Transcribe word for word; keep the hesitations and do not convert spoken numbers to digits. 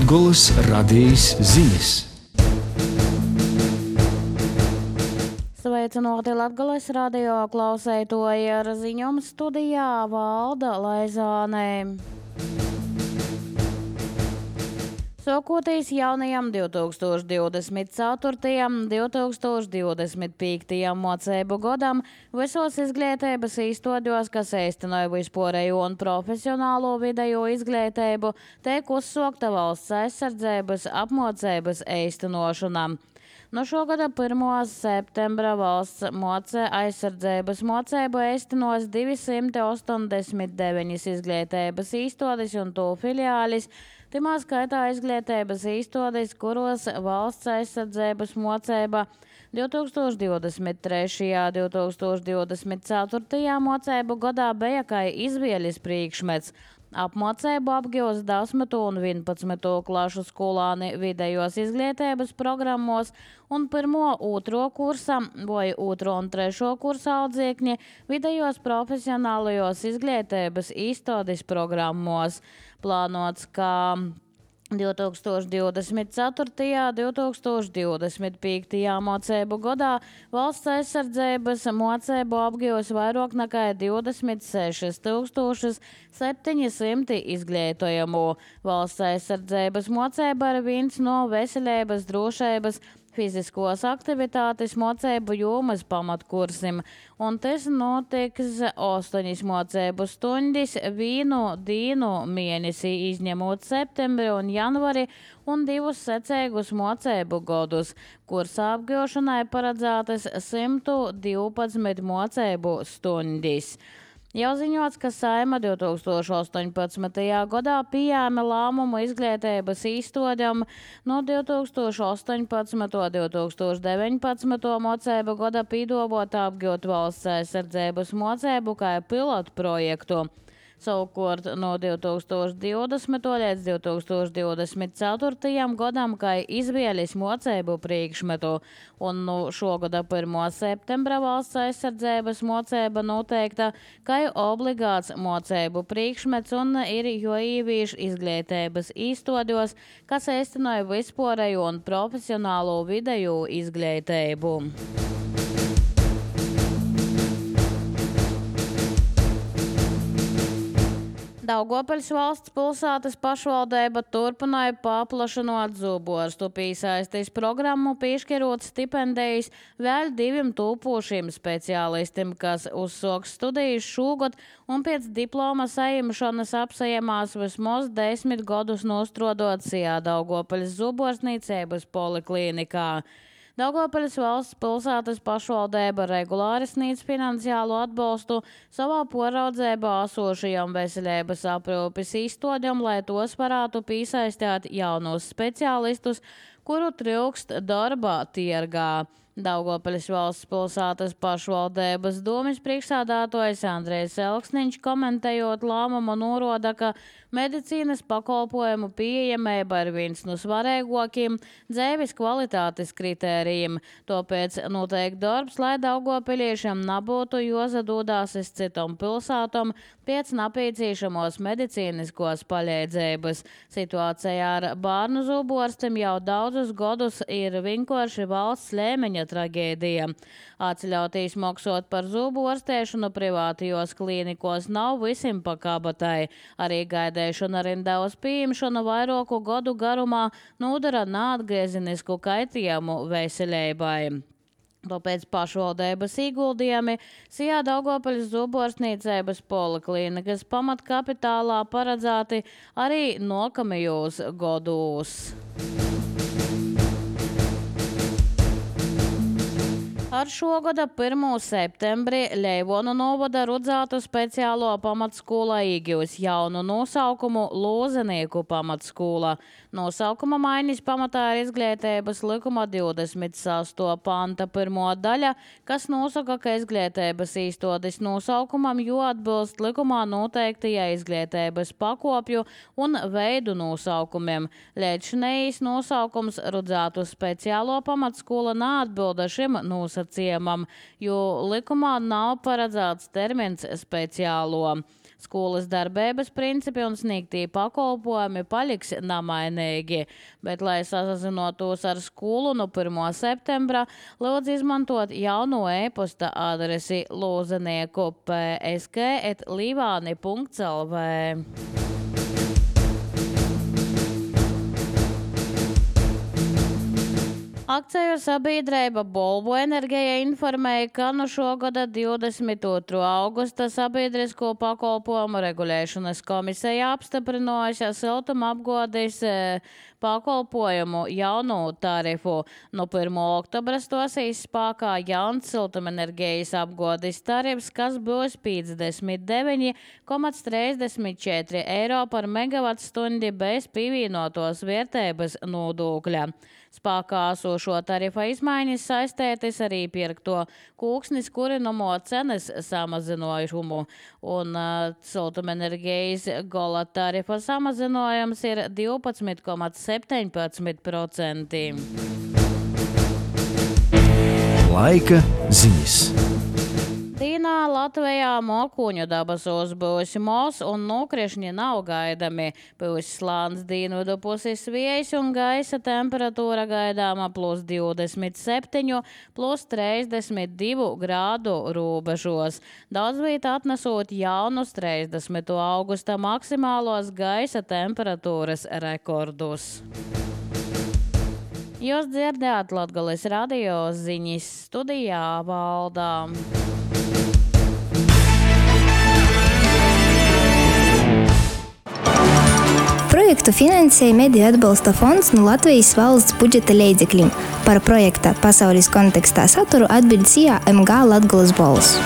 Latgolas radijas ziņas. Sveicināti Latgolas radio klausētoji, ar ziņām studijā Valda Laizāne. Sokoties jaunajam divi tūkstoši divdesmit ceturtajam - divi tūkstoši divdesmit piektajam mocību gadam visos izglītības īstoļos, kas īstenoja vispārējo un profesionālo vidējo izglītību, tiek uzsākta valsts aizsardzības apmācības īstenošana. No šogada pirmā septembra valsts moce aizsardzības mocību īstenos divsimt ostoņdesmit deviņas izglītības īstoļas un to filiālis. Timā skaitā izglītības īstoļas, kuros valsts aizsardzības mocība divi tūkstoši divdesmit trešajā un divi tūkstoši divdesmit ceturtajā mocību gadā bija kā izvēles priekšmets. Apmācību apgūst desmito un vienpadsmito klašu skolāni vidējos izglītības programmos un pirmo, otro kursa vai otro un trešo kursa audzēkņi vidējos profesionālajos izglītības īstoļas programmos. Plānots, ka divi tūkstoši divdesmit ceturtajā un divi tūkstoši divdesmit piektajā mocību gadā valsts aizsardzības mocību apgūs vairāk nekā divdesmit sešas tūkstošas septiņi simti izglītojamu. Valsts aizsardzības mocība ir viens no veselības, drošības, fiziskos aktivitātes mocību jomas pamatkursim, un tas notiks astoņas mocību stundas vienu dienu mēnesī, izņemot septembri un janvari, un divus secīgus mocību gadus. Kursa apgūšanai paredzētas simt divpadsmit mocību stundas. Jau ziņots, ka Saeima divi tūkstoši astoņpadsmitajā gadā pieņēma lēmumu izglītības īstoļam no divi tūkstoši astoņpadsmito un divi tūkstoši deviņpadsmito mocību gada pīdobot apgūt valsts aizsardzības mocību kā pilotu projektu. Savukārt no divi tūkstoši divdesmito līdz divi tūkstoši divdesmit ceturtajam gadam kā izvēles mocību priekšmetu, un no šogada pirmā septembra valsts aizsardzības mocība noteikta kā obligāts mocību priekšmets un ir jāīvīš izglītības īstoļos, kas īstenoja vispārējo un profesionālo vidējo izglītību. Daugavpils valsts pilsētas pašvaldība turpināja paplašinot zuborstu piesaistes programmu, piešķirot stipendijas vēl diviem tūpošiem speciālistiem, kas uzsāks studijas šogad un pēc diploma saņemšanas apsajamās vismaz desmit gadus nostrodot sijā Daugavpils zuborstniecības poliklinikā. Daugavpils valsts pilsētas pašvaldība regulāri sniedz finansiālu atbalstu savā poraudzībā esošajam veselības aprūpes īstoļam, lai tos varētu piesaistīt jaunus speciālistus, kuru trūkst darba tirgā. Daugavpils valsts pilsētas pašvaldības domes priekšsēdētājs Andrejs Elksniņš komentējot lēmumu norāda, ka medicīnas pakalpojumu pieejamība ir viens no svarīgākajiem dzīves kvalitātes kritērijiem. Tāpēc notiek darbs, lai daugavpiliešiem nebūtu jāsadodās uz citām pilsētām pēc nepieciešamos medicīniskos palīdzības. Situācija ar bērnu zuborstiem jau daudzus gadus ir vienkārši valsts līmeņa tragēdija. Atļautīs maksot par zuborstēšanu privātajos klīnikos nav visiem pa kabatai. Arī gaidēšana rindā uz pieņemšanu vairāku gadu garumā nodara neatgriezenisku kaitījumu veselībai. Tāpēc pašvaldības ieguldījumi sijā Daugavpils zuborstniecības poliklinikas pamatkapitālā paredzēti arī nākamajos gados. Ar šogada pirmā septembri Leivonu novada Rudzātu speciālo pamatskola iegūs jaunu nosaukumu Lozenieku pamatskola. Nosaukuma maiņas pamatā ir izglītības likuma divdesmit sastā panta pirmā daļa, kas nosaka, ka izglītības īstoļas nosaukumam jāatbilst likumā noteiktajai izglītības pakopju un veidu nosaukumiem. Līdzinējais nosaukums Rudzātu speciālo pamatskola neatbilda šim nosacījumam, jo likumā nav paredzēts termins speciālo. Skolas darbības principi un sniegtī pakalpojumi paliks namainīgi, bet, lai sazinotos ar skolu no pirmā septembra, lūdzu izmantot jauno e-posta adresi lozenieku p s k at līvāni punkts l v. Akciju sabiedrība Bolvu Enerģija informēja, ka no šogada divdesmit otrā augusta sabiedrisko pakalpojumu regulēšanas komisija apstiprinājusi siltumapgādes pakalpojumu jaunu tarifu. No pirmā oktobra stosīs spēkā jauns siltumenerģijas apgādes tarifs, kas būs piecdesmit deviņi komats trīsdesmit četri eiro par megavatstundi bez pievienotos vērtības nodokļa. Spēkā esošo tarifa izmaiņas saistētas arī pirkto kūksnis kurināmo cenas samazinājumu, un uh, siltumenerģijas gala tarifa samazinājums ir divpadsmit komats septiņpadsmit procenti. Laika ziņas. Dīnā Latvijā mokuņu dabasos būs mos un nokrišņi nav gaidami. Būs slāns dienvidu puses vējš un gaisa temperatūra gaidāma plus divdesmit septiņi, plus trīsdesmit divi grādu robežos. Daudz vieta atnesot jaunus trīsdesmit augusta maksimālos gaisa temperatūras rekordus. Jūs dzirdējāt Latgales radio ziņas, studijā Valdā. Projektu finansēja Mediju atbalsta fonds no Latvijas valsts budžeta līdzekļiem. Par projekta pasaules kontekstā saturu atbild S I A M G Latgales balss.